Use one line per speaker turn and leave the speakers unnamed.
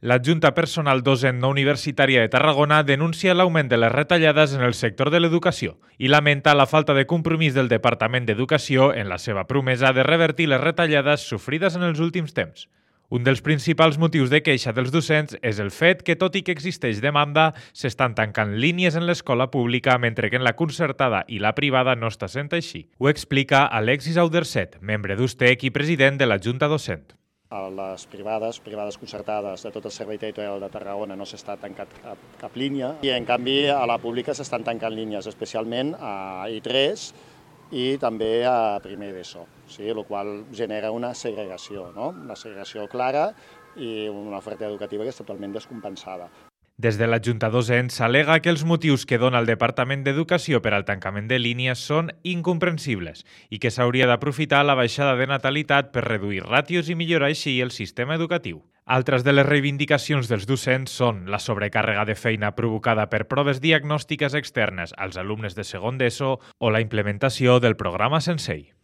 L'adjunta personal docent no universitària de Tarragona denuncia l'augment de les retallades en el sector de l'educació i lamenta la falta de compromís del Departament d'Educació en la seva promesa de revertir les retallades sofrides en els últims temps. Un dels principals motius de queixa dels docents és el fet que, tot i que existeix demanda, s'estan tancant línies en l'escola pública mentre que en la concertada i la privada no està sent així. Ho explica Alexis Auderset, membre d'USTEC i president de la Junta Docent.
A les privades concertades de tot el servei territorial de Tarragona no s'està tancat cap línia i, en canvi, a la pública s'estan tancant línies, especialment a I3 i també a primer d'ESO, el qual genera una segregació, una segregació clara i una oferta educativa que és totalment descompensada.
Des de la Junta Docent s'al·lega que els motius que dona el Departament d'Educació per al tancament de línies són incomprensibles i que s'hauria d'aprofitar la baixada de natalitat per reduir ràtios i millorar així el sistema educatiu. Altres de les reivindicacions dels docents són la sobrecàrrega de feina provocada per proves diagnòstiques externes als alumnes de segon d'ESO o la implementació del programa Sensei.